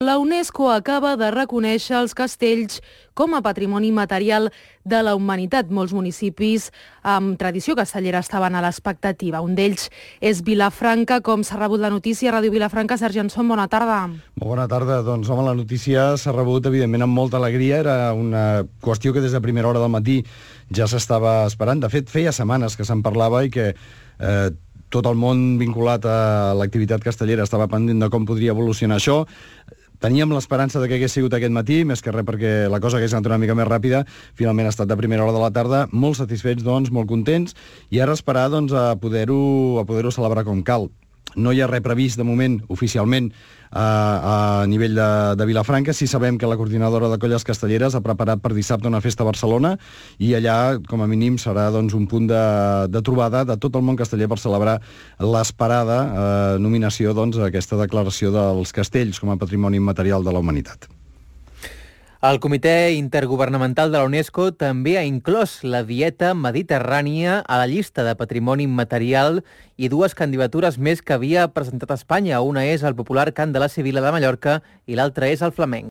La UNESCO acaba de reconèixer els castells com a patrimoni material de la humanitat. Molts municipis amb tradició castellera estaven a l'expectativa. Un d'ells és Vilafranca. Com s'ha rebut la notícia? Ràdio Vilafranca, Sergi Anson, bona tarda. Molt bona tarda. Doncs, home, la notícia s'ha rebut, evidentment, amb molta alegria. Era una qüestió que des de primera hora del matí ja s'estava esperant. De fet, feia setmanes que se'n parlava i que tot el món vinculat a l'activitat castellera estava pendent de com podria evolucionar això. Teníem l'esperança de que hagués sigut aquest matí, més que res perquè la cosa hagués anat una mica més ràpida. Finalment ha estat de primera hora de la tarda, molt satisfets, doncs, molt contents, i ara esperar doncs, a poder-ho celebrar com cal. No hi ha res previst, de moment, oficialment, a nivell de Vilafranca. Sí sabem que la coordinadora de colles castelleres ha preparat per dissabte una festa a Barcelona i allà, com a mínim, serà doncs, un punt de trobada de tot el món casteller per celebrar l'esperada nominació doncs, a aquesta declaració dels castells com a patrimoni immaterial de la humanitat. El Comitè Intergovernamental de la UNESCO també ha inclòs la dieta mediterrània a la llista de patrimoni immaterial i dues candidatures més que havia presentat Espanya. Una és el popular cant de la Sibil·la de Mallorca i l'altra és el flamenc.